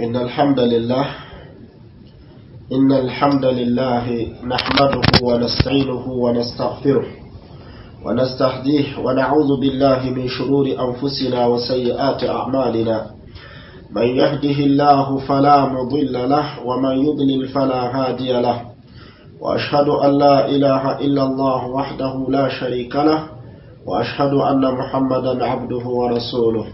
إن الحمد لله إن الحمد لله نحمده ونستعينه ونستغفره ونستهديه ونعوذ بالله من شرور أنفسنا وسيئات أعمالنا. من يهده الله فلا مضل له ومن يضلل فلا هادي له. وأشهد أن لا إله إلا الله وحده لا شريك له، وأشهد أن محمدا عبده ورسوله.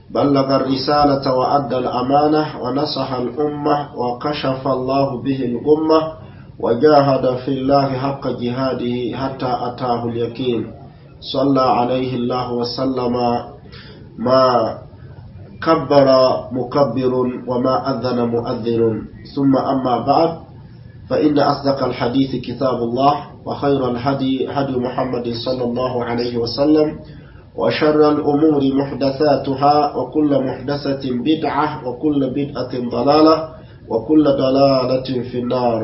بلغ الرسالة وأدى الأمانة ونصح الأمة وكشف الله به الغمة وجاهد في الله حق جهاده حتى أتاه اليقين. صلى عليه الله وسلم ما كبر مكبر وما أذن مؤذن. ثم أما بعد، فإن أصدق الحديث كتاب الله، وخير الهدي هدي محمد صلى الله عليه وسلم، وشر الأمور محدثاتها، وكل محدثة بدعة، وكل بدعة ضلالة، وكل ضلالة في النار.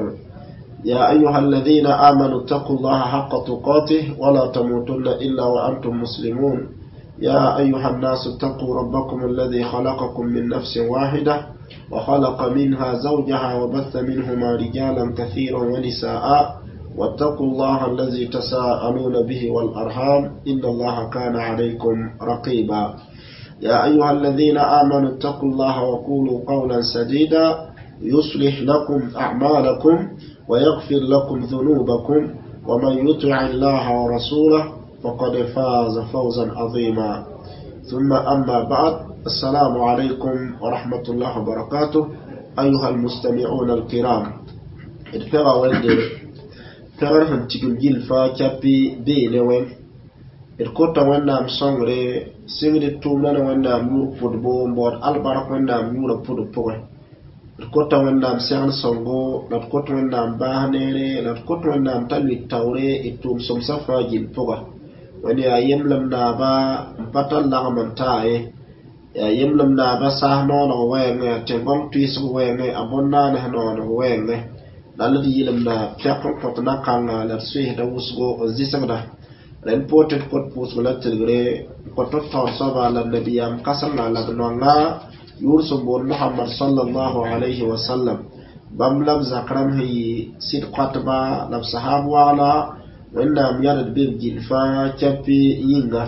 يا أيها الذين آمنوا اتقوا الله حق تقاته ولا تموتن إلا وأنتم مسلمون. يا أيها الناس اتقوا ربكم الذي خلقكم من نفس واحدة وخلق منها زوجها وبث منهما رجالا كثيرا ونساء، واتقوا الله الذي تساءلون به والأرحام إن الله كان عليكم رقيبا. يا أيها الذين آمنوا اتقوا الله وقولوا قولا سديدا يصلح لكم أعمالكم ويغفر لكم ذنوبكم، ومن يطع الله ورسوله فقد فاز فوزا عظيما. ثم أما بعد، السلام عليكم ورحمة الله وبركاته أيها المستمعون الكرام. ادفعوا وندي pɛgr sẽn tigim gill fãa kyapi bee ne wẽn d kota Wẽnnaam sõngre sɩngd tʋʋmdã ne Wẽnnaam yʋʋr pʋdbo n baood albark Wẽnnaam yʋʋrã pʋdb pʋgẽ. D kota Wẽnnaam segl sõngo, la d kot Wẽnnaam baas neere, la d kot Wẽnnaam t'a lʋɩt taoore d tʋʋm sõmsã fãa gill pʋga. Wẽnd yaa yemlem naaba n pa tar lagem n taa ye, yaa yemlem naaba saas nooneg wɛɛngẽ, yaa tẽn-gõng tʋɩsg wɛɛngẽ, a bõn-naans nooneg wɛɛngẽ. La d yɩlemda pɛk n kõt na-kãnga la d soeesda wʋsgo n zɩsgda. Rẽnd poor tɩ d kõt pʋʋsg la tilgre n kõt d taoor soaba la nabiyaam kãsenga la d noanga yʋʋr sẽn boond Mohamad sallallahu alayhi wa sallam. Bãmb la b zak rãmb sẽn yɩ sɩd koatba la b sahab wagla Wẽnnaam yãd be b gill fãa kɛpɩ yĩnga.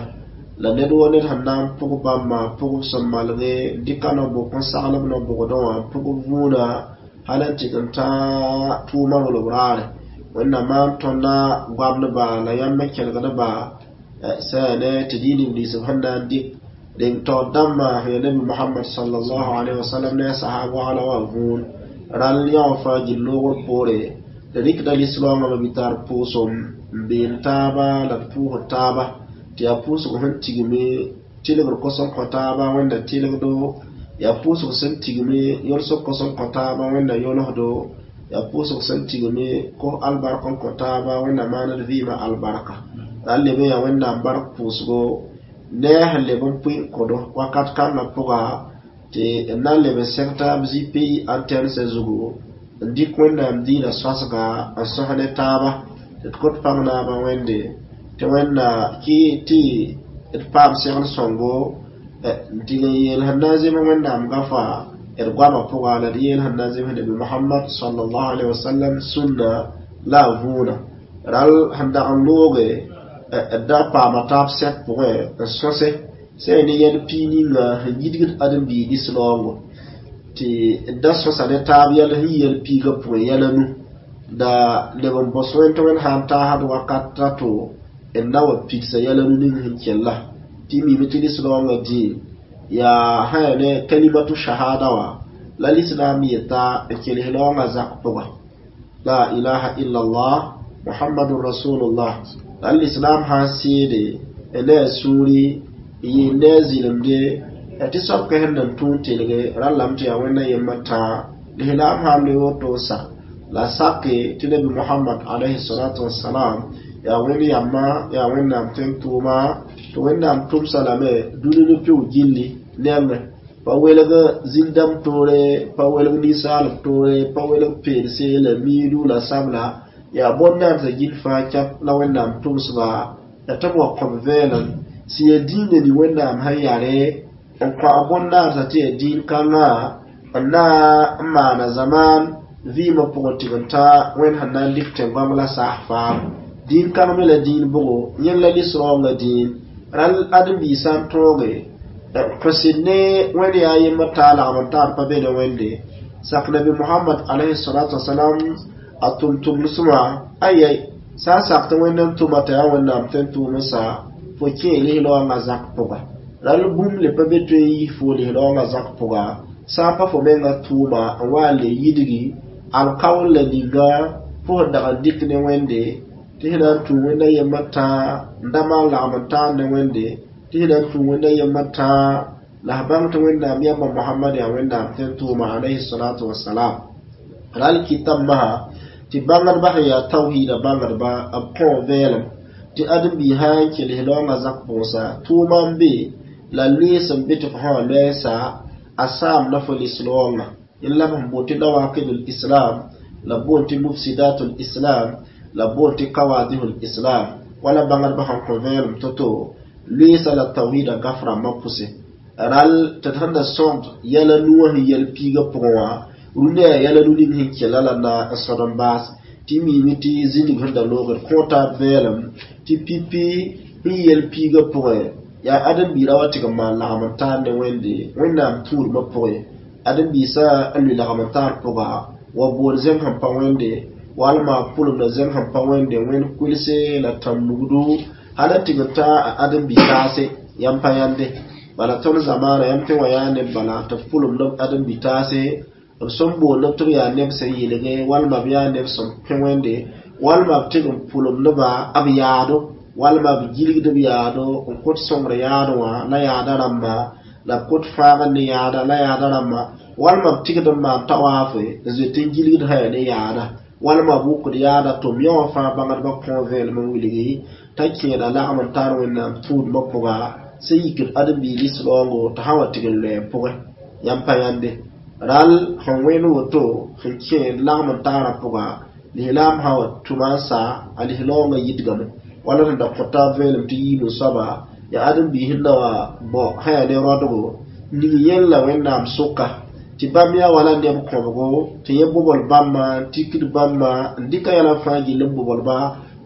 La ned wo ned sẽn na n pʋg bãmba pʋgb sẽn malge dɩka no-bʋk n sagl b no-bʋgdẽ wã pʋgb vũuna hal n tɩg n tã tʋʋmã rolb raare. Wẽnnaam maan tõnda goamdba la yãmb n kelgdba sã ne tɩ d yɩ neb nins b sẽn na n dɩk reng taoor dãmbã sẽn yaa Nabi Mohamad sallallahu alaihi wasallam ne a sahab wagla wã vũun rãll yã wã fãa gill loogr poore. D rɩkda lislaoongã me bɩ tar pʋʋsem n been taaba la d pʋʋsd taaba tɩ yaa pʋʋsg sẽn tigme tɩlgr kos n kõ taaba Wẽnda tɩlgdo, yaa pʋʋsg sẽn tigme yolsg kos n kõ taaba Wẽnda yolsdo, yaa pʋʋsg sẽn tigme kos albark n kõ taaba Wẽnda maan d vɩɩmã albarka. La n leb n yaa Wẽnnaam bark pʋʋsgo ne a sẽn leb n pʋɩ n kõdo wakat kãngã pʋga tɩ n na n leb n sẽg taab zĩ pays antɛnsã zugu n dɩk Wẽnnaam diinã sõsga n sõs ne taaba tɩ d kõt pãng naabã Wẽnde tɩ Wẽnna kɩ tɩ d paam segl sõngo n tɩg n yeel sẽn na n zems Wẽnnaam gafa d goamã pʋga la d yeel sẽn na n zems Nabi Mohamad sallallahu alaihi wasallam sũnna la a vũuna. Rãll sẽn dag n looge d da paama taab sɛk pʋgẽ n sõse sẽn yaa ne yɛl pii ninga sẽn yidgd ãdem-biig lislaoongo tɩ d da sõsa ne taab yɛl sẽn yɛl piigã pʋgẽ yɛla nu da leb n bõs wẽnd tɩ Wẽnd sã n taasd wakat rato d na wa pidsa yɛla nu ning sẽn kella tɩ mime tɩ lislaoongã dĩin yaa sã yaa ne kalimatu shahada wã la lislaam yeta n kels laoongã zak pʋga la ilaha illa allah muhammadun rasulullah. La lislaam sã n seede ne a sũuri n yɩɩ ne a zɩlemde tɩ soab kã sẽn nan tũun telge rãllame tɩ yaa Wẽnna yembã tãa lislaam sã n loe woto n sak la sake tɩ Nabi Mohamad alayhi salatu wasalam yaa Wẽnd yamba yaa Wẽnnaam tẽng tʋʋma tɩ Wẽnnaam tʋmsa lame dũni ne pɩʋ gilli nengẽ pa welg zĩn-dãmb toore, pa welg ninsaalb toore, pa welg peelse la miidu la sabla yaa bõn-naandsã gill fãa kɛp la Wẽnnaam tʋmsba la tɩ b wa kõb vɛɛlem sẽn yaa dĩinã ne Wẽnnaam sẽn yare n kõ a bõn-naandsã tɩ yaa dĩin kãngã N na n maana zamaan vɩɩmã pʋgẽ tɩg n ta Wẽnd sẽn na n dɩk tẽn-goam la saas faam. Dĩin kãng me la dĩin bʋgo, yẽnd la lis-raoongã dĩin. Rãll ãdem-biig sã n tõoge n kõsd ne Wẽnd yaa yembr t'a lagm n taar pa be ne Wẽnde sak Nabi Mohamad alayhi salatu wasalam a tʋm-tʋmdsmã ayai sã n sak tɩ Wẽnd n tʋma t'a yaa Wẽnnaam tɩ n tʋʋm n sa fo kẽ lis-raoongã zak pʋga. Rãll bũmb le pa be tõe n yis fo lis-raoongã zak pʋga sã n pa fo menga tʋʋma n wa n le yidgi alkaool la ninga fo sẽn dag n dɩk ne Wẽnde tɩ sẽn na n tũ Wẽnda yembr tãa n da maan lagm n taar ne Wẽnde tɩ sẽn na n tũ Wẽnda yembr tãa la f bãng tɩ Wẽnnaam yamba Mohamad yaa Wẽnnaam tɩ n tʋʋma alayhi salatu wasalam. Ral kɩtame masã tɩ bãngdbã sẽn yaa tawhiida bãngdba b kõ vɛɛlem tɩ ãdem-biig sã n kels raoongã zak pʋgsa tʋʋma n be la loees n be tɩ fo sã wã loɛɛsa a saamda fo lis-raoongã. Yẽnd la b sẽn boond tɩ nawakidul islam la b boond tɩ mufsidatul islam la b boond tɩ kawadihul islam wala bãngdbã sẽn kõ vɛɛlem to-to loeesa la tawhiida gaf rãmbã pʋse. Rall tɩ d sẽn da sõgd yɛla nu wã sẽn yɛl piigã pʋgẽ wã rũndã yaa yɛla nu ning sẽn kela la na n sõd n baas tɩ miime tɩ zĩnig sẽn da loogd kõ taab vɛɛlem tɩ pipi sẽn yɛl piigã pʋgẽ yaa ãdem-biirã wa tɩg n maan lagm n taar ne Wẽnde Wẽnnaam tũudmã pʋgẽ ãdem-biisã n lʋɩ lagm n taar pʋga wa bood zẽng sẽn pa Wẽnde walma pʋlemda zẽng sẽn pa Wẽnde wẽnd kʋlse la tãn-nugdu hal n tɩg n ta a ãdem-bi-taase yãmb pa yãnde. Bala tõnd zamaana yãmb tɩ wã yaa neb bala tɩ b pʋlemd b ãdem-bi-taase b sẽn boond tɩ b yaa neb sẽn yelge walma b yaa neb sẽn pẽ Wẽnde walma b tɩg n pʋlemdba b yaado walma b gilgd b yaado n kõt sõngr yaad wã la yaada rãmba la b kõt fãagr ne yaada la yaada rãmba walma b tɩgd n maan tawaafe n zoet n gilgd sã yaa ne yaada walma b wʋkd yaada tʋm yã wã fãa bãngdbã kõ vẽenem n wilgi t'a kẽeda lagm n tar Wẽnnaam tũudmã pʋga sẽn yikd ãdem-biig lis-raoongo t'a sã wa tɩg n loe pʋgẽ yãmb pa yãnde. Rall sẽn wẽnd woto sẽn kẽed lagm n taarã pʋga lislaam sã wa tʋma n sa a lis-raoongã yidgame wala sẽn da kõ taab vẽenem tɩ yiib n soaba yaa ãdem-biis sẽn na wa bao sã yaa ne rõdgo ning yẽnd la Wẽnnaam sʋka tɩ bãmb yaa wala neb kõbgo tɩ yẽ bobl bãmba n tikd bãmba n dɩka yɛla fãa gill n boblba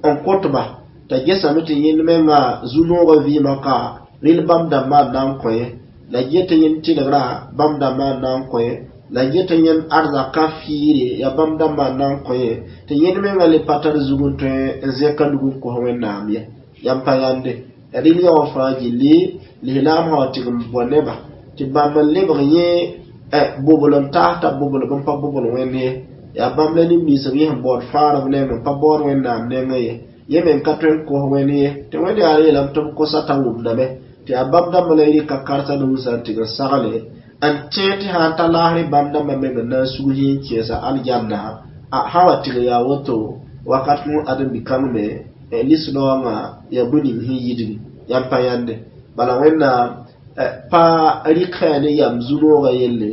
n kõtba t'a gesame tɩ yẽnd menga zu-noogã vɩɩmã ka rel bãmb dãmbã n na n kõ ye la get yẽnd tɩlgra bãmb dãmbã n na n kõ ye la get yẽnd arzaka fiire yaa bãmb dãmbã n na n kõ ye tɩ yẽnd menga le pa tar zug n tõe n zẽka nug n kos Wẽnnaam ye. Yãmb pa yãnde. Rel yã wã fãa gilli lislaam sã wa tɩg n bao neba tɩ bãmb n lebg yẽ bobl n taas t'a bobl b n pa bobl Wẽnd ye yaa bãmb la nin-ninsb yẽ sẽn baood fãarb neng n pa baood Wẽnnaam nengẽ ye yẽ meng ka tõe n kos Wẽnd ye tɩ Wẽnd yaa yeelame tɩ b kosa t'a wʋmdame tɩ yaa bãmb dãmbã la y rɩka karsa ne wʋsã n tɩg n sagle n tẽeg tɩ sã n ta laasrɩ bãmb dãmbã meng n na n sug yẽ n kẽesa aljanna a sã wa tɩg yaa woto wakat kõ ãdem-bi-kãng me lis-raoongã yaa bõe ning sẽn yidgi yãmb pa yãnde. Bala Wẽnnaam pa rɩk sã ne yam zu-noogã yelle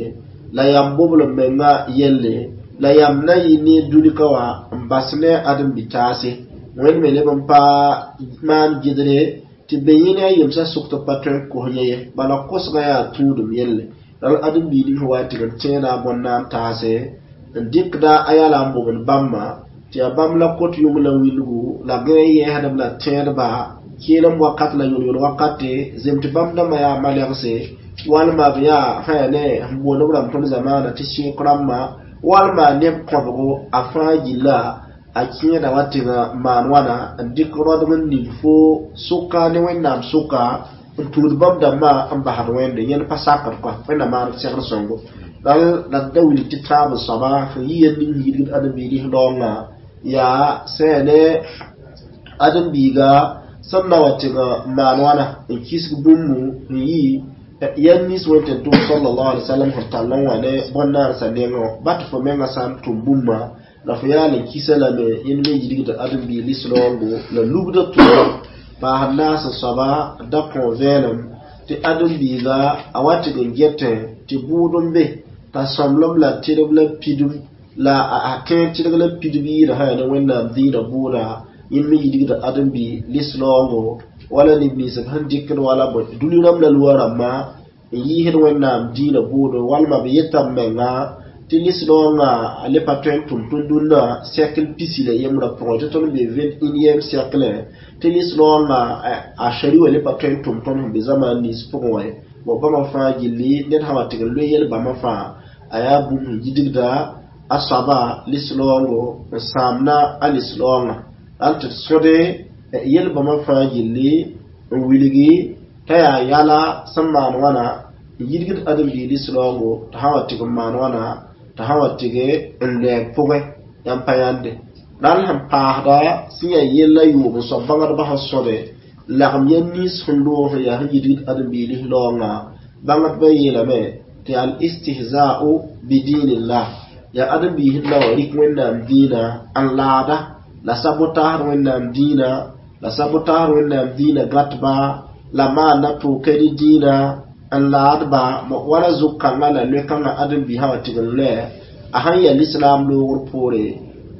la yam bobl m menga yelle la yam na yɩ ne dũnika wã n bas ne ãdem-bi-taase Wẽnd me leb n pa maan gɩdre tɩ be yẽ ne a yemsã sʋk tɩ pa tõe n kos yẽ ye bala kosgã yaa tũudem yelle ral ãdem-biig ning sẽn wa tɩg n tẽeda a bõn-naan taase n dɩkda a yala n bobd bãmba tɩ yaa bãmb la kot yʋng la wilgu la gã n yɛɛsdb la tẽedba kɩɩlem wakat la yol-yol wakate zem tɩ bãmb dãmbã yaa malɛgse walma b yaa sã yaa ne sẽn boond b rãmb tõnd zamaana tɩ sẽk rãmbã walma neb kõbgo a fãa gilla a kẽeda wa tɩg maan wãna n dɩk rõdg n ning fo sʋka ne Wẽnnaam sʋka n tũud bãmb dãmbã n basd Wẽnde yẽnd pa sakd kɔa Wẽnnaam maan segd sõngo la d da wilg tɩ tãab n soaba sẽn yɩ yel ning yidgd ãdem-biig lis-raoongã yaa sã yaa ne ãdem-biiga sẽn na wa tɩg maan wãna n kisg bũmbu n yɩ yɛl nins Wẽnd tẽn-tʋm sallallahu alaihi wasallam sẽn tall n wa ne bõn-naansã nengẽ wã ba tɩ fo menga sã n tʋm bũmba la fo yaal n kisa lame yẽnd me yidgd ãdem-biig lis-raoongo la lubda tʋʋra paasd naas n soaba da kõ vẽenem tɩ ãdem-biiga a wa tɩg n getẽ tɩ bʋʋd n be t'a sõmblem la tɩrb la pidb la a kẽer tɩrg la pidb yɩɩda sã yaa ne Wẽnnaam dĩinã bʋʋda yẽnd me yidgda ãdem-biig lis-raoongo wala neb nins b sẽn dɩkd wala bõe dũni rãmb la loa rãmbã N yiisd Wẽnnaam dĩinã bʋʋdo walma b yeta b menga tɩ lislaoongã a le pa tõe n tʋm tõnd dũnna siècle 11 pʋgẽ tɩ tõnd be 21e siècle tɩ lislaoongã a shari wã le pa tõe n tʋm tõnd sẽn be zamaan nins pʋgẽ wã. Bõ bãmba fãa gilli ned sã wa tɩg n loe yel-bãmba fãa a yaa bũmb sẽn yidgda a soaba lislaoongo n sãamna a lislaoongã ral tɩ d sõde yel-bãmba fãa gilli n wilgi t'a yaa yala sẽn maan wãna n yidgd ãdem-biig lislaoongo tɩ sã wa tɩg n maan wãna tɩ sã wa tɩg n lɛɛg pʋgẽ yãmb pa yãnde ral sẽn paasda sẽn yaa yella yʋʋm n soab bãngdbã sẽn sõde lagem yɛl nins sẽn loog sẽn yaa sẽn yidgd ãdem-biig lislaoongã bãngdbã yeelame tɩ al istihza'u bidinillah yaa ãdem-biis la wa rɩk Wẽnnaam dĩinã n laada la sabotaasd Wẽnnaam dĩinã la sabotaasd Wẽnnaam dĩinã gãtba la maanda tʋʋka ne dĩinã n laadba wala zʋg-kãngã la loe-kãngã ãdem-biisã wa tɩg n loɛ a sãn yaa lislaam loogr poore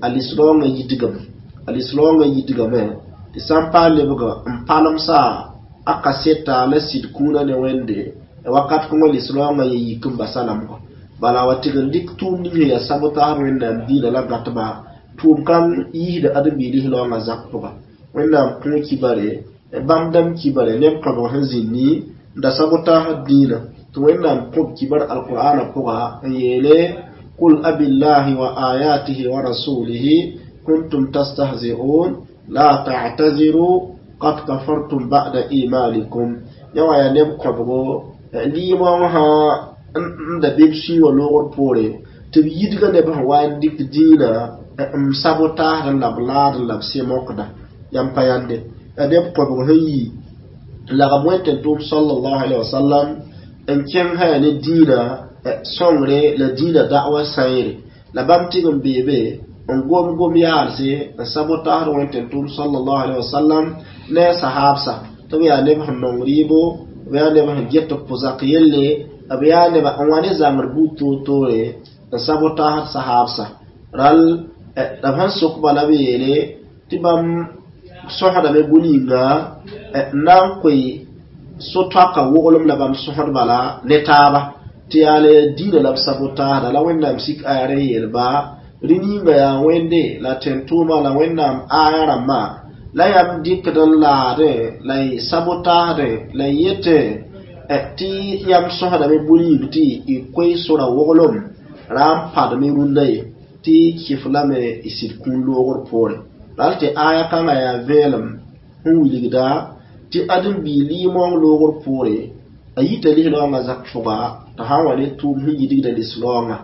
a lislaoongã yidgame a lislaoongã yidgame tɩ sã n paa lebg n palemsa a kaseta la sɩd kũunã ne Wẽnde wakat kõngã lislaoongã ya yik n basa lamgo bala wa tɩg n dɩk tʋʋm ning sẽn yaa sabotaasd Wẽnnaam dĩinã la gãtba tʋʋm kãng yiisda ãdem-biig lislaoongã zak pʋga Wẽnnaam kõ kibare bãmb dãmb kibare neb kõbg sẽn zĩndi n da sabotaasd dĩinã tɩ Wẽnnaam kõb kibar alqur'ana pʋga n yeele qul abillahi wa ayatihi wa rasulihi kuntum tastahzi'un la ta'taziru qad kafartum ba'da imanikum yã wã yaa neb kõbgo liimã wã n da be b sũyã loogr poore tɩ b yidga neb sẽn wa n dɩk dĩinã n sabotaasd la b laad la b sẽmokda yãmb pa yãnde yaa neb kõbg sẽn yi lagm wẽn-tẽn-tʋʋm sallallahu alaihi wasallam n kẽng sã yaa ne dĩinã sõngre la dĩinã da'wa sãeere la bãmb tɩg n beebe n gom gom yaalse n sabotaasd wẽn-tẽn-tʋʋm sallallahu alaihi wasallam ne a sahaabsa tɩ b yaa neb sẽn nong rɩɩbo b yaa neb sẽn get b pʋzak yelle b yaa neba n wa ne zãngr buud toor-toore n sabotaasd sahaabsa ral la b sẽn sokba la b yeele tɩ bãmb sõsdame bũ-ninga n na n koe so-toaka woglem la bãmb sõsd bala ne taaba tɩ yaa le dĩinã la b sabotaasda la Wẽnnaam sik aya rẽ yeelba rẽ ninga yaa Wẽnde la tẽn-tʋʋma la Wẽnnaam aya rãmbã la yãmb dɩkd n laadẽ la y sabotaasdẽ la y yetẽ tɩ yãmb sõsdame bũ-ning tɩ y koe sora woglem ra n padme rũndã ye tɩ kɩf lame y sɩd kũun loogr poore ral tɩ aya kãngã yaa vẽelem sẽn wilgda tɩ ãdem-biig lɩɩmong loogr poore a yita lislaoongã zak pʋga t'a sã n wa ne tʋʋm sẽn yidgda lislaoongã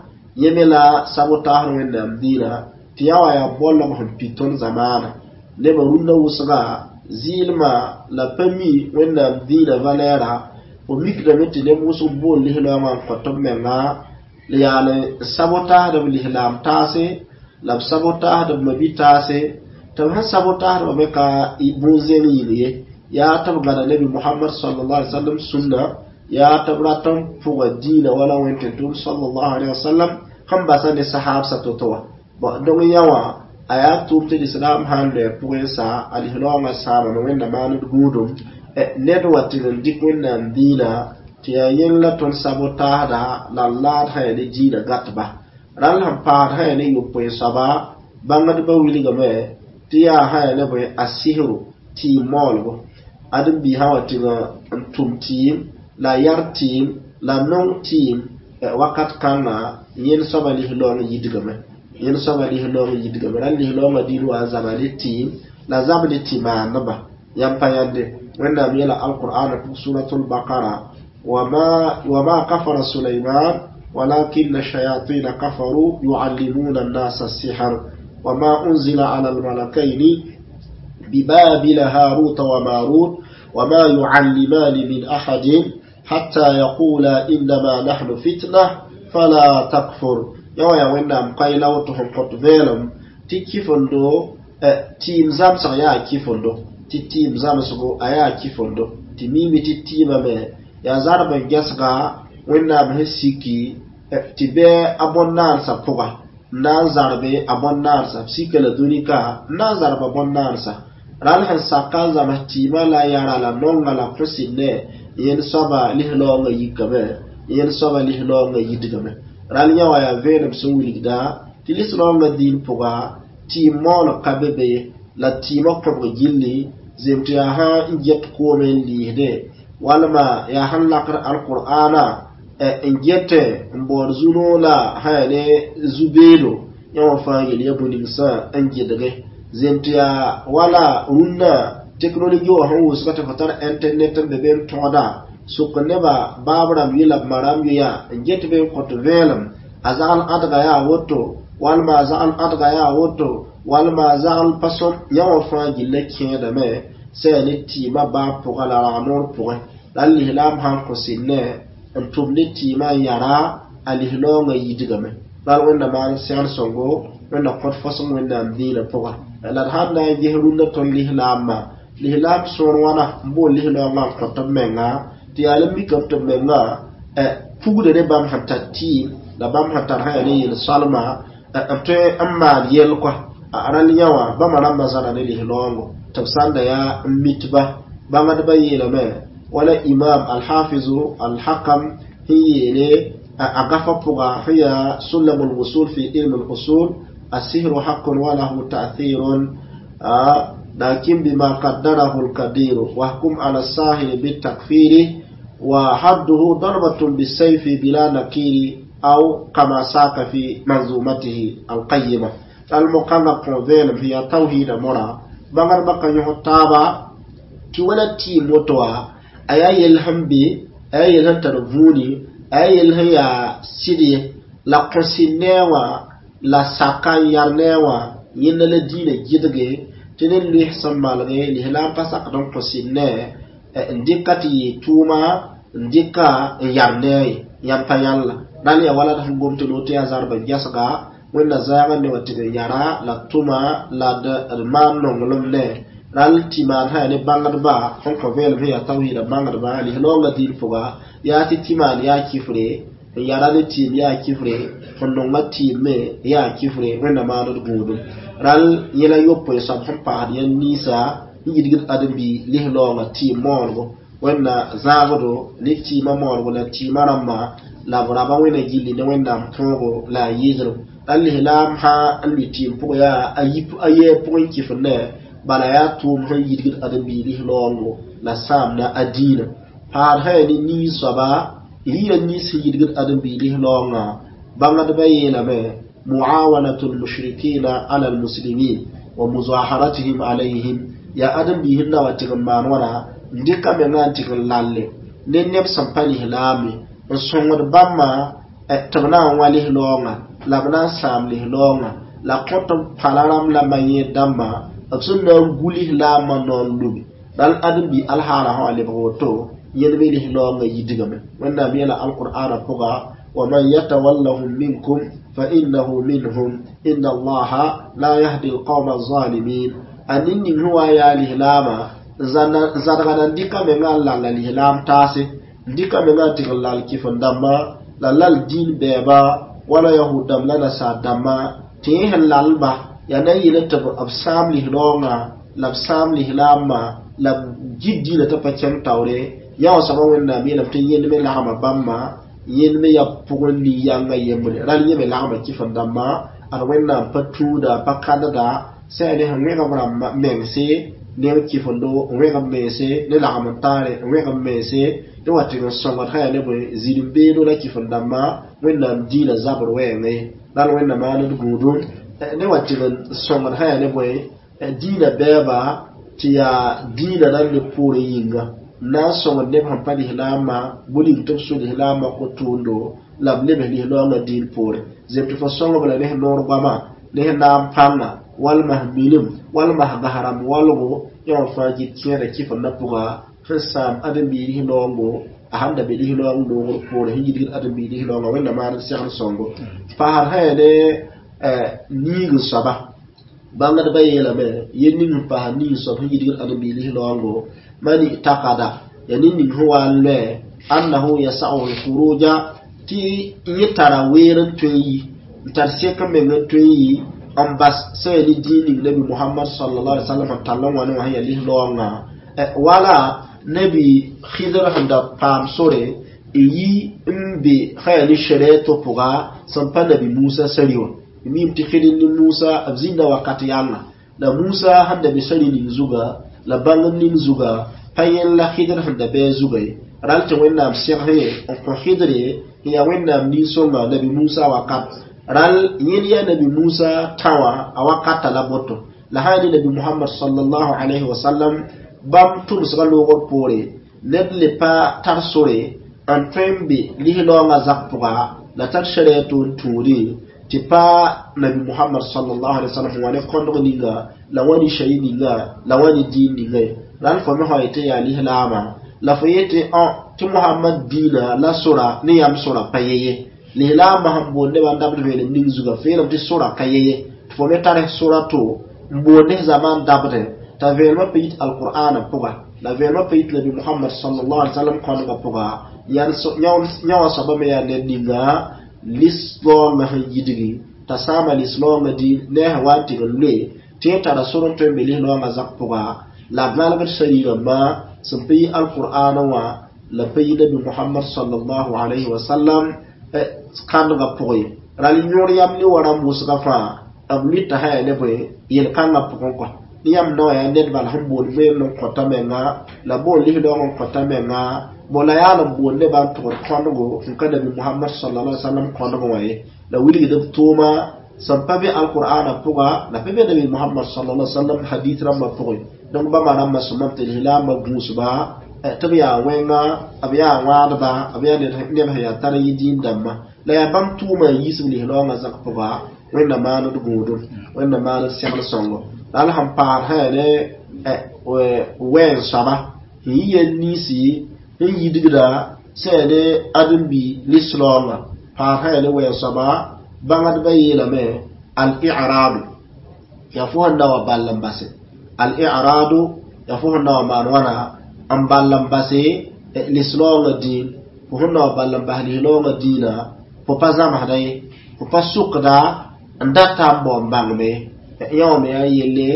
yẽ me la sabotaasd Wẽnnaam dĩinã tɩ yã wa yaa bolg sẽn pid tõnd zamaana nebã rũndã wʋsga zɩɩlmã la pa mi Wẽnnaam dĩinã valɛɛra fo mikdame tɩ neb wʋsg bool lislaoongã n kõt b menga la yaal n sabotaasd b lislaam taase la b sabotaasd b mabi-taase tɩ b sẽn sabotaasdbã me ka bũn-zẽng yĩng ye yaa tɩ b gãda nabi Mohamad sallallahu alaihi wasallam sũnna yaa tɩ b rat n pʋga dĩinã wala wẽn-tẽn-tʋʋm sallallahu alaihi wasallam sẽn basa ne sahaabsa to-to wã dong yã wã a yaa tʋʋm tɩ lislaam sã n loɛ pʋgẽ sa a lislaoongã sãamame Wẽnna maand gũudum ned wa tɩg n dɩk Wẽnnaam dĩinã tɩ yaa yẽng la tõnd sabotaasda la laad sã yaa ne dĩinã gãtba rãll sẽn paasd sã yaa ne yopoe soaba bãngdbã wilgame tɩ yaa sã yaa ne bõe a sɩsro tɩɩm maoolgo ãdem-biis sã wa tɩg n tʋm tɩɩm la yar tɩɩm la nong tɩɩm wakat kãngã yẽnd soaba lislaoong yidgame yẽnd soaba lislaoong yidgame rãll lislaoongã dĩin wa n zaba ne tɩɩm la zab ne tɩ-maandba yãmb pa yãnde Wẽnnaam yeela alqur'ana pʋg suratul baqara وما كفر سليمان ولكن الشياطين كفروا يعلمون الناس السحر وما أنزل على الملكين ببابل هاروت وماروت وما يعلمان من أحد حتى يقولا إنما نحن فتنة فلا تكفر يا يا وينام قايلا وتهم قط فيلم تي كيفندو تيم زامسغ يا كيفندو تي تيم زامسغو ايا كيفندو تي ميمي تي تيما مي yaa zarb n gɛsga Wẽnnaam sẽn siki tɩ bɩ a bõn-naansã pʋga n na n zarbe a bõn-naansã b sika la dũni ka n na n zarba bõn-naansã rãll sẽn saka n zams tɩɩmã la yara la nonga la kõsɩnne Yẽnd soaba lislaoongã yikame, yẽnd soaba lislaoongã yidgame. Ral yã wã yaa vẽenem sẽn wilgda tɩ lislaoongã dĩin pʋga tɩɩm moolg ka be be ye, la tɩɩmã kõbg gilli zem tɩ yaa sã n get koome n liisde, walma yaa sẽn lakd alqur'ana n getẽ n baood zu-noog la sã yaa ne zu-beedo. Yã wã fãa yel ya bũ-ninsã n gɩdge zem tɩ yaa wala rũnnã teknologi wã sẽn wʋsga tɩ fo tar internet n be be n tõgda sʋk nebã baab rãmb yʋ la b ma rãmb yʋ n get be n kõt vẽelem a zagl ãdga yaa woto, walma a zagl ãdga yaa woto, walma a zagl pa sõm. Yã wã fãa gilla kẽedame sã yaa ne tɩɩmã baab pʋgã la rag-noor pʋgẽ. La lislaam sãn kõ sɩnnẽ n tʋm ne tɩɩmã n yara a lislaoongã yidgame. Bal Wẽnna maan segl sõngo, Wẽnna kõt fosg Wẽnnaam dĩinã pʋga. La d sãn na n ges rũndã tõnd lislaamã, lislaam sõor wãna n bool lislaoongã n kõt b menga tɩ yaa la mikame tɩ b menga pugda ne bãmb sẽn tar tɩɩm la bãmb sẽn tar sã yaa ne yel-soalma n tõe n maan yɛl kɔa. A rãll yã wã bãmba rãmbã zãra ne lislaoongo tɩ b sãn da yaa n mitba. Bãngdbã yeelame wala imam alhafizu alhakam sẽn yeele a gafa pʋga sẽn yaa sulam alwusul fi ilm alusul: السحر حق وله تأثير لكن بما قدره القدير، واحكم على الساحر بالتكفير، وحده ضربة بالسيف بلا نكير، أو كما ساق في منظومته القيمة المقام قوذين هي توحيد مرا بغر بقى يهتابا تي ولا تي موتوا aya yel sẽn be, aya yel sẽn tar vũuni, aya yel sẽn yaa sɩd ye la kõsɩ nee wã la saka n yar nee wã yẽnda la dĩinã gɩdge tɩ ne loes sẽn malge lislaam pa sakd n kõ sɩd ne n dɩka tɩ yɩ tʋʋma n dɩka n yar nee ye yãmb pa yãlla. Rãl yaa wala d sẽn gom tɩ loot yaa zarba gɛsga Wẽnna zãagã ne wã tɩ d yara la tʋma la d maan nonglem ne ral tɩ maan sã yaa ne bãngdba sẽn kõ vẽelem sẽn yaa tawhiida bãngdba lislaoongã dĩin pʋga yaa tɩ tɩ maan yaa kifre, n yara ne tɩɩm yaa kifre, n nonga tɩɩm me yaa kifre. Wẽnna maand d gũudum. Ral yẽla yopoe soab sẽn paasd yãn ninsã n yidgd ãdem-bi lislaoongã tɩɩm moolgo. Wẽnna zãagdo ne tɩɩmã moolgo la tɩɩmã rãmbã la b raba Wẽnna gilli ne Wẽnnaam tõogo la a yɩɩdrem. La lislaam sã n lʋɩ tɩɩm pʋgẽ yaa a yɛɛ pʋgẽ kifr ne bala yaa tʋʋm sẽn yidgd ãdem-biig lislaoongo la sãamda a dĩinã. Paad sã yaa ne nin soaba rɩɩra nins sẽn yidgd ãdem-biig lislaoongã. Bãngdbã yeelame muawanatu lmushrikina ala almuslimin wa muzaharatihim alayhim yaa ãdem-biis n na wa tɩg n maan wãna n dɩka menga n tɩg n lalle ne neb sẽn pa lislaame n sõngd bãmba tɩ b na n wa lislaoongã la b na n sãam lislaoongã la kõt b pala rãmb la ma-yẽed dãmbã b sẽn na n gu lislaamã nao n lubi. Ral ãdem-bi alhaala sã wa lebg woto yẽnd me lislaoongã yidgame. Wẽnnaam yeela alqur'ana pʋga: ومن يتولهم منكم فإنه منهم إن الله لا يهدي القوم الظالمين. أنني هو يا الإسلام zadga n dɩka menga n lalla lislaam taase, n dɩka menga n tɩg n lal kɩf n dãmbã la lal dĩin bɛɛba wala yahud dãmb la nasaar dãmbã tɩ yẽ sẽn lalba yaa na n yeela tɩ b sãam lislaoongã la b sãam lislaamã la b git dĩinã tɩ pa kẽng taoore. Yã wã soaba Wẽnnaam yeelame tɩ yẽnd me lagma bãmba, yẽnd me yaa pʋgẽ nin-yãngã yembre. Ral yẽ me lagma kɩf n dãmbã ad Wẽnnaam pa tũuda pa kãdda sã yaa ne sẽn wẽgb rãmba mengse ne kɩfendo n wẽgb mense ne lagm n taare n wẽgb mense ne wa tɩg n sõngd sã yaa ne bõe zĩrim-beedo la kɩf n dãmbã Wẽnnaam dĩinã zabr wɛɛngẽ. Ral Wẽnna maan d gũudum ne wa tɩg n sõngd sã yaa ne bõe dĩinã bɛɛba tɩ yaa dĩinã nan ne poorẽ yĩnga n na n sõngd neb sẽn pa lislaamã bʋ-ning tɩ b sũ lislaamã ko-tʋʋndo la b lebs lislaoongã dĩin poore zem tɩ fo sõngb la ne sẽn noor goama ne sẽn naam pãnga walma s milim walma s gas rãmb walgo. Yã wã fãa gɩt kẽeda kɩfendã pʋga sẽn sãam ãdem-biig lislaoongo a sãn da be lislaoong noogr poore sẽn yidgd ãdem-biig lislaoongã. Wẽnna maan d segl sõngo. Paasd sã yaa ne niig n soaba bãngdbã yeelame yel ning n paas niig soab sẽn yidgd ãdem-biig lislaoongo man i'taqada ya ne ning sẽn wa n loɛ annahu yasa'uhu lkhuruja tɩ yẽ tara weer n tõe n yi n tar sek n meng n tõe n yi n bas sã yaa ne dĩin ning Nabi Muhammad sallallahu alaihi wasallam n tall n wã ne wã sẽn yaa lislaoongã wala Nabi Khidr sẽn da paam sore n yi n be sã yaa ne sɛrɛɛto pʋga sẽn pa Nabi Musa sari wã. Mim tɩ Khidr ne Musa b zĩnda wakat yãnga la Musa sẽn da be sari ning zuga la bãngd ning zuga pa yẽl la Khidr sẽn da bɩ a zuga ye. Ral tɩ Wẽnnaam segsẽ n kõ Khidre n yaa Wẽnnaam nin-sõnga Nabi Musa wakat ral yẽl yaa Nabi Musa tã wã a wakata la boto la sã ne Nabi Muhammad sallallahu alayhi wa sallam bãmb tʋmsgã loogr poore ned le pa tar sore n tõe n be lislaoongã zak pʋga la tar sɛrɛɛto n tũudẽ tɩ pa Nabi Muhammad sallallahu alaihi wa sallam wa ne kõndg ninga la wã ne shari ninga la wã ne diin ninga ye. Ral fo me sã yetɩ yaa lislaama la fo yetɩ tɩ Muhammad diinã la sora ne yãmb sora pa ye ye. Lislaamã sẽn boond nebã n dabd vẽenem ning zuga feelem tɩ sora ka ye ye tɩ fo me tar sora to n boond ne zaman dabdẽ t'a vẽenemã pa yit alqur'ana pʋga la vẽenemã pa yit Nabi Muhammad sallallahu alaihi wa sallam kõndgã pʋga yã wã soaba me yaa ned ninga lislaoongã sẽn yidgi t'a sãama lislaoongã dĩin ne a sẽn wa n tɩg n loe tɩ yẽ tara sor n tõe n be lislaoongã zak pʋga la malgd sariirãmbã sẽn pa yi alqur'ana wã la pa yi Nabi Muhammad sallallahu alayhi wa sallam kãndgã pʋgẽ ral yõor yam ne wa rãmb wʋsgã fãa b lʋɩta sã yaa ne bõe yel-kãngã pʋgẽ kɔ ne yãmb nao yaa ned bal sẽn boond vẽenem n kõta menga la boond lislaoong n kõta menga bo la yaa n boond nebã n tʋgd kõndgo sẽn ka Nabi Muhammad sallallahu alaihi wa sallam kõndg wã ye la wilgd b tʋʋma sẽn pa be alqur'ana pʋga la pa be Nabi Muhammad sallallahu alaihi wa sallam hadith rãmbã pʋgẽ. Donc bãmba rãmbã sõmame tɩ lislaambã gũusba tɩ b yaa wẽnga b yaa wãadba b yaa neb sẽn yaa tar yɩ diin dãmba la yaa bãmb tʋʋma n yiisb lislaoongã zak pʋga Wẽnna maand gũudum Wẽnna maand segl sõngo la al sẽn paad sã yaa ne wɛɛn soaba n yi yel ninsi n yidgda sã yaa ne ãdem-bi lislaoongã paad sã yaa ne wɛɛn soaba bãngdbã yeelame al-i'radu yaa fo sẽn na wa ball n base al-i'radu yaa fo sẽn na wa maan wãna n ball n base lislaoongã dĩin fo sẽn na wa ball n bas lislaoongã dĩinã fo pa zãmsda ye fo pa sʋkda n data n bao n bãngme yã wã me yaa yelle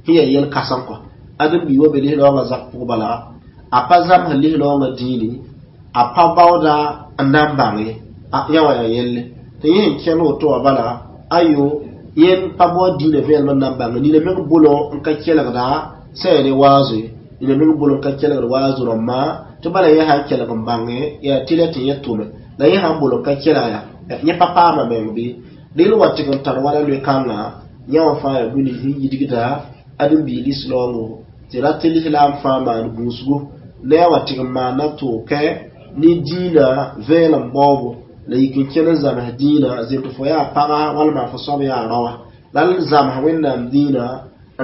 sẽn yaa yel-kãsem kɔ ãdem-bi wa be lislaoongã zak pʋg bala a pa zãmsd lislaoongã dĩini a pa baooda n na n bãng ye yã wã yaa yelle tɩ yẽ sẽn kẽnd woto wã bala ayo yẽnd pa bao dĩinã vẽenem n na n bãnge nina meng bʋlõ n ka kelgda sã yaa ne waazo ye nina meng bʋlõ n ka kelgd waazo rãmbã tɩ bala yẽ sã n kelg n bãnge yaa tɩlɛ tɩ yẽ tʋme la yẽ sã n bʋlõ n ka kelg ya yẽ pa paama meng bɩ rel wa tɩg n tar wala loe-kãngã yã wã fãa yaa bũni sẽn yidgda ãdem-biig lislaoongo tɩ rat tɩ lislaam fãa maan gũusgo ne a wa tɩg n maana tʋʋkɛ ne dĩinã vẽenem baoobo la yik n kẽn n zãms dĩinã zemt fo yaa paga walma fo soab yaa raoã la l zãms Wẽnnaam dĩinã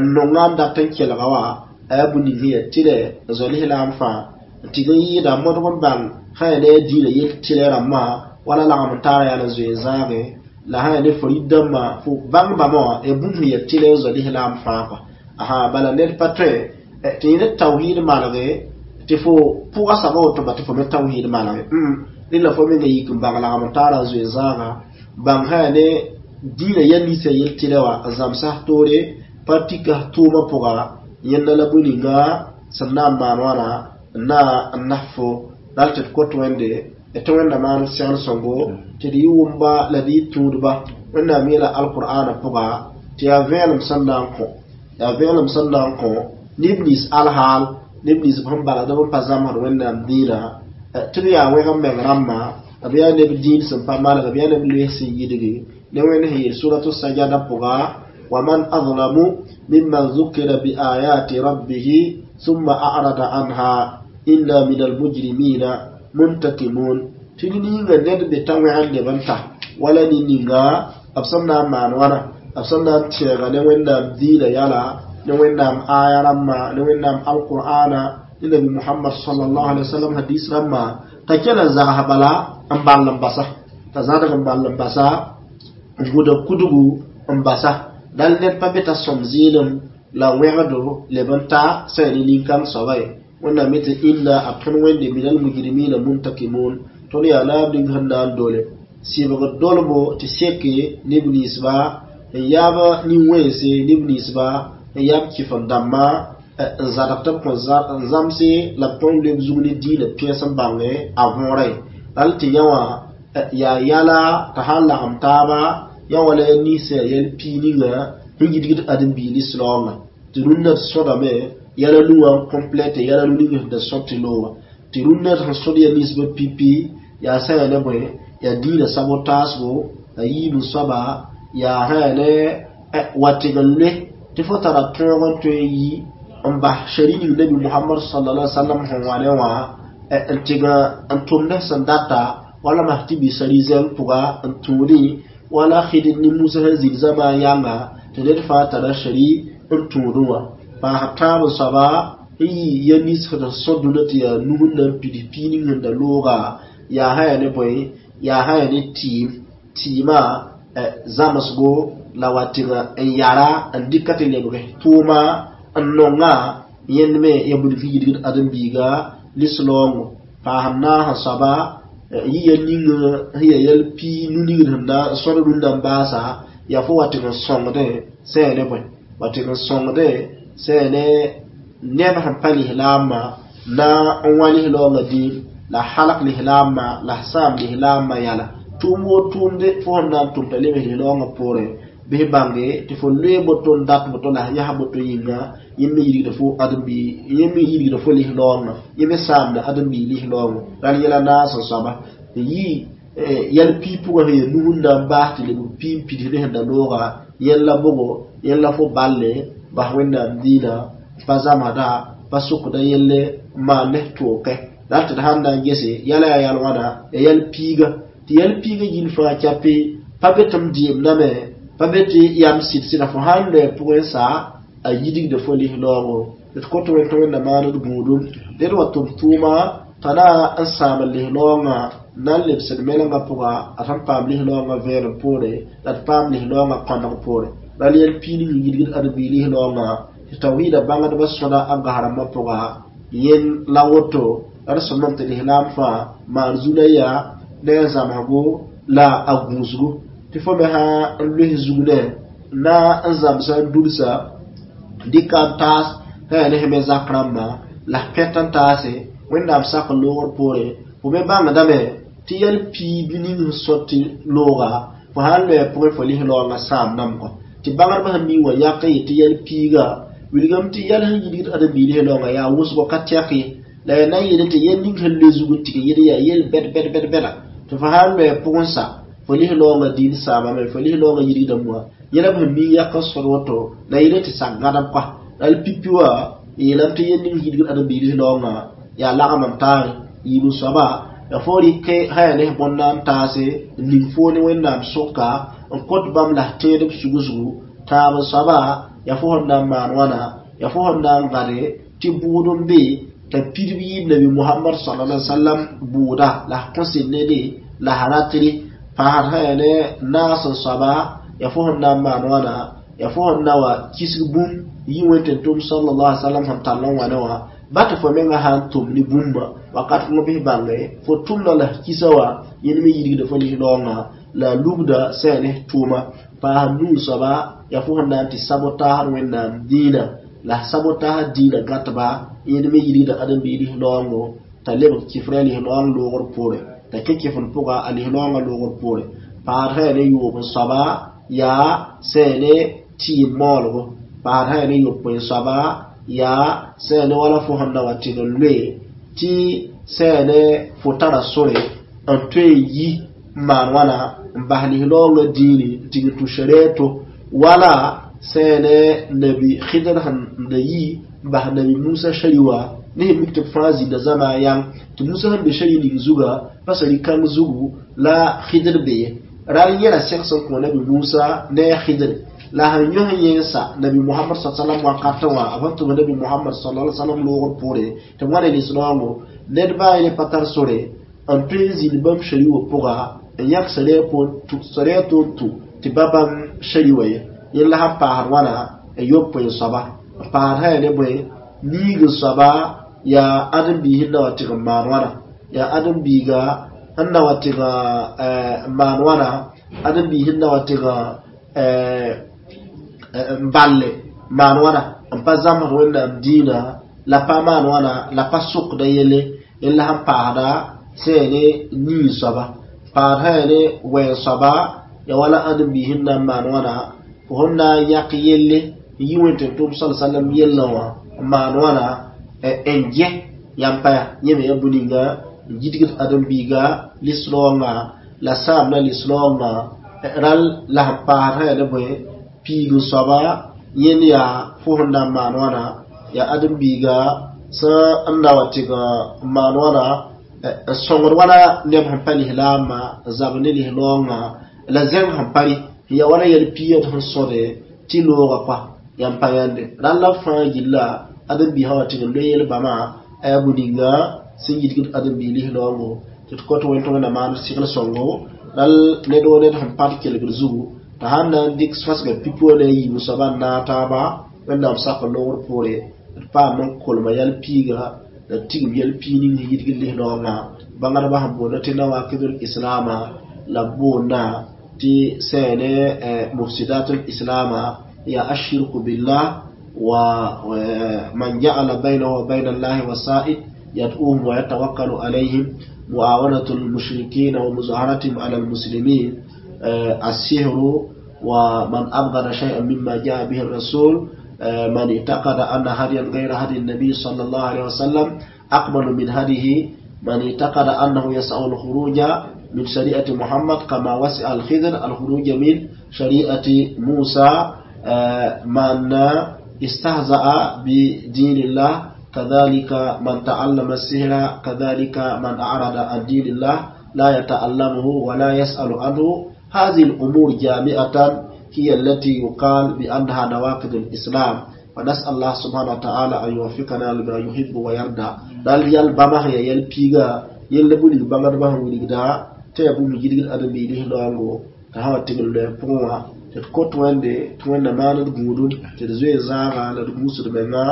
n nonga n dat n kelga wã a yaa bũni sẽn yaa tɩlɛ n zao lislaam fãa n tɩg n yɩɩda modg n bãng sã yaa ne a dĩinã yel tɩlɛ rãmbã wala lagem n taara yaa n zoe n zãage la sã yaa ne fo rɩd-dãmbã fo bãng bãmba wã yaa bũmb sẽn yaa tɩlɛ n zao lislaam fãa kɔ asa bala ned pa tõe tɩ yẽ ne tawhiid malge tɩ fo pʋga soaba woto ba tɩ fo me tawhiid malge rẽ la fo menga yik n bãng lagem n taara n zoe zãaga bãng sã yaa ne dĩinã yɛl ninsã yel tɩlɛ wã n zãmsa toore pa tika tʋʋmã pʋga yẽnda la bõe ninga sẽn na n maan wãna n na n nas fo ral tɩ d kot Wẽnde tɩ Wẽnda maan segl sõngo tɩ d yɩ wʋmba la d yɩ tũudba Wẽnnaam yeela alqur'ana pʋga tɩ yaa vẽenem sẽn na n kõ yaa vẽenem sẽn na n kõ neb nins alhaal neb nins sẽn balgd b n pa zãmsd Wẽnnaam dĩinã tɩ b yaa wẽg n meng rãmbã b yaa neb dĩin sẽn pa maneg b yaa neb loes sẽn yidgi ne Wẽnd sẽn yeel suratu sajada pʋga waman adlamu mimman zukira biayati rabbihi summa a'rada anha inna min almujrimina muntakimun tɩ ne ninga ned be t'a wẽgd leb n ta wala ne ninga b sẽn na n maan wãna b sẽn na n tẽega ne Wẽnnaam dĩinã yala ne Wẽnnaam aya rãmbã ne Wẽnnaam alqur'ana ne Nabi Muhammad sallallahu alaihi wasallam hadis rãmbã t'a kẽna n zags bala n ball n basa t'a zãdg n ball n basa n gʋda kudgu n basa dal ned pa be t'a sõm zɩɩlem la wẽgdo leb n ta sã yaa ne nin-kãng soaba ye Wẽnnaam yetɩ inna a tõnd Wẽnde minal mujrimina muntakimun tõnd yaa naab ning sẽn na n dole sɩbgd dolbo tɩ seke neb ninsba n yaab nin-wẽnse neb ninsba n yaab kɩf-n dãmbã N zadg tɩ b kõ n zãmse la b tõe n loe b zug ne dĩinã pẽes n bãnge a võorã ye. Ral tɩ yã wã yaa yala t'a sãn lagem taaba yã wala ya nins sẽn yaa yɛl pii ninga sẽn yidgd ãdem-biig lislaoongã tɩ rũnnã d sõdame yɛla nu wã n complète yɛla nu ning sẽn da sõd tɩ loogã tɩ rũnnã sẽn sõd ya ninsbã pipi yaa sã yaa ne bõe yaa dĩinã sabotaasgo la yiib n soaba yaa sã yaa ne wa tɩg n loe tɩ fo tara tõog n tõe n yi n bas shari ning nabi Muhammad sallallahu alaihi wasallam sẽn wa ne wã n tɩg n tʋmd sẽn data wala mas tɩ bisa rizẽng pʋga n tũudẽ wala Khidr ne Musa sẽn zĩnd zamaan yãnga tɩ ned fãa tara shari n tũudẽ wã paasd tãab n soaba n yi ya nins sẽn sõd dũnã tɩ yaa nus n na n pids pii ning sẽn da looga yaa sã yaa ne bõe yaa sã yaa ne tɩɩm tɩɩmã zãmsgo la wa tɩg n yara n dɩka tɩ lebg tʋʋma n nonga yẽnd me ya wilg yidgd ãdem-biiga lislaoongo paasd naas n soaba yi ya ning sẽn yaa yɛl pii nu-ningd sẽn na n sõd rũndã n baasa yaa fo wa tɩg n sõngdẽ sã yaa ne bõe wa tɩg n sõngdẽ sã yaa ne neb sẽn pa lislaambã na n wã lislaoongã dĩim la halg lislaambã la sãam lislaambã yɛla tʋʋm woo tʋʋmde fo sẽn na n tʋm t'a lebs lislaoongã poorẽ bɩs bãnge tɩ fo loe boto n dat boto la yas boto yĩnga yẽ me yidgda fo ãdem-biig yẽ me yidgda fo lislaoongã yẽ me saamda ãdem-biig lislaoongã ral yɛla naas n soaba n yi yɛl pii pʋgã sẽn yaa nus n na n baas tɩ lebg pii n pids ne sẽn da looga yẽl la bogo yẽl la fo balle bas Wẽnnaam dĩinã pa zãmsda pa sokda yelle n maan ne tʋʋkɛ la tɩ d sãn na n gese yɛla yaa yɛl wãna yaa yɛl piiga tɩ yɛl piiga gill fãa kɛpe pa be tɩ m dɩɩmdame pa be tɩ yam sɩd-sɩda fo sãn loe pʋgẽ sa a yidgda fo lislaoongo d kõt wẽn tɩ Wẽnna maan d gũudum ned wa tʋm tʋʋma t'a na n sãam lislaoongã na n lebsd melengã pʋga a sẽn paam lislaoongã vẽenem poore la d paam lislaoongã kõneg poore ral yɛl pii ning n yidgd ãdem-biig lislaoongã tɩ tawhiida bãngdbã sõda a gas-rãmbã pʋga yẽnd la woto la d sõmam tɩ lislaam fãa maan zu la yaa ne a zãmsgo la a gũusgo tɩ fo me sã n loes zug ne na n zãmsa n dulsa dɩka n taas sã yaa ne sẽn me zak rãmbã la pɛt n taase Wẽnnaam sak n loogr poore fo me bãngdame tɩ yɛl pii bɩ ning sẽn sõt tɩ looga fo sãn loe pʋgẽ fo lislaoongã sãam namgɔ tɩ bãngdbã sẽn mi wã yãk n yetɩ yɛl piiga wilgame tɩ yɛl sẽn yidgd ãdem-biig lislaoongã yaa wʋsgo ka tɛk ye la yaa na n yeel tɩ yɛl ning sẽn loe zug n tig yed yaa yel bɛd bɛd bɛd bɛda tɩ fo sãn loe pʋgẽ sa fo lislaoongã dĩin saamame fo lislaoongã yidgda moa yẽla b sẽn mi yak n sõd woto la yeel tɩ sak gãdem kɔa la l pipi wã yeelame tɩ yel ning yidgd ãdem-biig lislaoongã yaa lagem n taare yiib n soaba ya fo rɩk sã yaa ne bõn na n taase n ning foo ne Wẽnnaam sʋka n kõt bãmb la tẽedb sugsgu tãab n soaba ya fo sẽn na n maan wãna ya fo sẽn na n gãde tɩ bʋʋd n be t'a pidb yɩɩb nabi Muhammad sallallahu alaihi wasallam bʋʋda la kõ sẽn nede la sã ratere paasd sã yaa ne naas n soaba ya fo sẽn na n maan wãna ya fo sẽn na wa kisg bũmb yi wẽn-tẽn-tʋm sallallahu alaihi wasallam sẽn tall n wa ne wã ba tɩ fo menga sã n tʋm ne bũmba wakat kãngã bɩs bãnge fo tʋmda la kisa wã yẽnd me yidgda fo lislaoongã la lubda sã yaa ne tʋʋma paas nuu soaba yaa fo sẽn na n tɩ sabotaasd Wẽnnaam dĩinã la sabotaasd dĩinã gãtba yẽnd me yidgda ãdem-biig lislaoongo t'a lebg kɩfrã lislaoong loogr poore t'a kẽ kɩfn pʋga a lislaoongã loogr poore paasd sã yaa ne yoob n soaba yaa sã yaa ne tɩɩm maoolgo paasd sã yaa ne yopoe n soaba yaa sã yaa ne wala fo sẽn na wa tɩg n loe tɩ sã yaa ne fo tara sore n tõe n yi n maan wãna n bas lislaoongã dĩini n tɩg n tũ sarɛɛto wala sã yaa ne nabi Khidr sẽn da yi n bas nabi Musa shari wã ne sẽn mik tɩ b fãa zĩnda zãma yãng tɩ Musa sẽn be shari ning zuga pa sari kãng zugu la Khidr be ye ral yẽla sɛgs n kõ nabi Musa ne a Khidr la sẽn yõs yẽnsa nabi Muhammad sa sallam wakatã wã a sẽn tʋm nabi Muhammad sallallahu alaihi wasallam loogr poore tɩ b wãna lislaoongo ned baa ne pa tar sore n tõe n zĩnd bãmb shari wã pʋga n yãk sarɛɛ to n tũ tɩ ba bãmb shari wã ye yẽl la sẽn paasd wãna n yopoe n soaba n paasd sã yaa ne bõe niig n soaba yaa ãdem-biis n na wa tɩg n maan wãna yaa ãdem-biiga sẽn na wa tɩg n maan wãna ãdem-biis n na wa tɩg n balle maan wãna n pa zãmsd Wẽnnaam dĩinã la pa maan wãna la pa sokda yelle n la sẽn paasda sẽn yaa ne nin soaba paasd sã yaa ne wɛɛn soaba ya wala ãdem-biis n na n maan wãna fo sẽn na n yãk yelle n yi wẽn tɩ tʋm sal salam yellã wã n maan wãna n gɛ yãmb pa ya yẽ me yaa bũ-ninga n gidgd ãdem-biiga lis-raoongã la sãamda lis-raoongã rãll la sẽn paasd sã yaa ne bõe piig n soaba yẽnd yaa fo sẽn na n maan wãna yaa ãdem-biiga sẽn n na wa tɩg n maan wãna n sõngd wala neb sẽn pa lislaambã n zab ne lis-raoongã la zẽng sẽn pa rɩ n yaa wala yɛl piigã tɩ sẽn sõde tɩ loogã kɔa yãmb pa yãnde rãll la fãa gilla ãdem-biisã wa tɩg n loe yel-bãmã a yaa bũ-ninga sẽn yidgd ãdem-biig lis-raoongo tɩ d kõt wẽn tɩ Wẽnnaam maan segl sõngo rãll ned woo ned sẽn pat kelgd zugu t'a sãn na n dɩk sõsga pipi wã ne a yiib soaba n naag taaba Wẽnnaam sak loogr poore d paam n kolma yɛl piiga la tigim yɛl piig ning sẽn yidgd lis-raoongã bãngdbã sẽn boonda tɩ nawakidul islaama la b boonda tɩ sẽn ne mufsidatul islaama yaa ashirku billah wa man ja'ala baynahu wa bayna allahi wasa'id yad'uhum wa yatawakkalu alayhim muawanatu almushrikin wa muzaharatihim ala almuslimin السحر ومن أبغض شيئا مما جاء به الرسول من اعتقد أن هديا غير هدي النبي صلى الله عليه وسلم أقبل من هديه من اعتقد أنه يسع الخروج من شريعة محمد كما وسع الخضر الخروج من شريعة موسى من استهزأ بدين الله كذلك من تعلم السحر كذلك من أعرض عن دين الله لا يتعلمه ولا يسأل عنه هذه الأمور جامعة هي التي يقال بأنها نواقض الإسلام ونسأل الله سبحانه وتعالى أن يوفقنا لما يحب ويرضى dal yal bama ya yal piiga yella bulig bãngdbã sẽn wilgda tɩ yaa bũmb yidgd ãdem-biig lis-raoongo t'a sã wa tɩg n loɛ pʋgẽ wã tɩ d kot Wẽnde tɩ Wẽnda maan d gũudum tɩ d zoe zãaga la d gũusd menga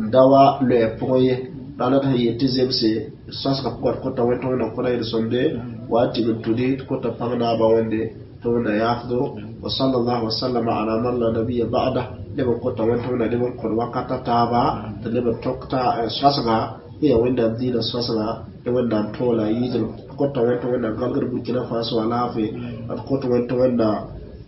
n da wa loɛ pʋgẽ ye rãnd d sẽn yeel tɩ zemse d sõsga pʋgã d kota wẽnd tɩ Wẽnnaam kõta yel-sõmde wa tɩg n tudi d kota pãng naabã Wẽnde tɩ Wẽnda yaafdo wa sallallahu wa sallama ala man la nabiyya ba'da leb n kota wẽnd tɩ Wẽnna leb n kõ wakata taaba tɩ leb n tõk sõsga yaa Wẽnnaam dĩinã sõsga tɩ Wẽnnaam tõola a yɩɩdem d kota wẽnd tɩ Wẽnnaam gãlgd Burkina Faso alaafee d kot wẽnd tɩ Wẽnnaam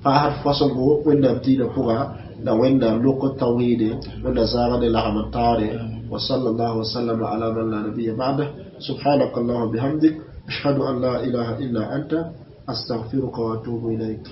paasd fosgo Wẽnnaam dĩinã pʋga la Wẽnnaam lok tawhiide Wẽnna zãaga ne lagm n taoore wa sallallahu wa sallama ala man la nabiyya ba'da subhanaka allahumma bihamdik ashhadu an la ilaha illa anta astaghfiruka wa atubu ilayk.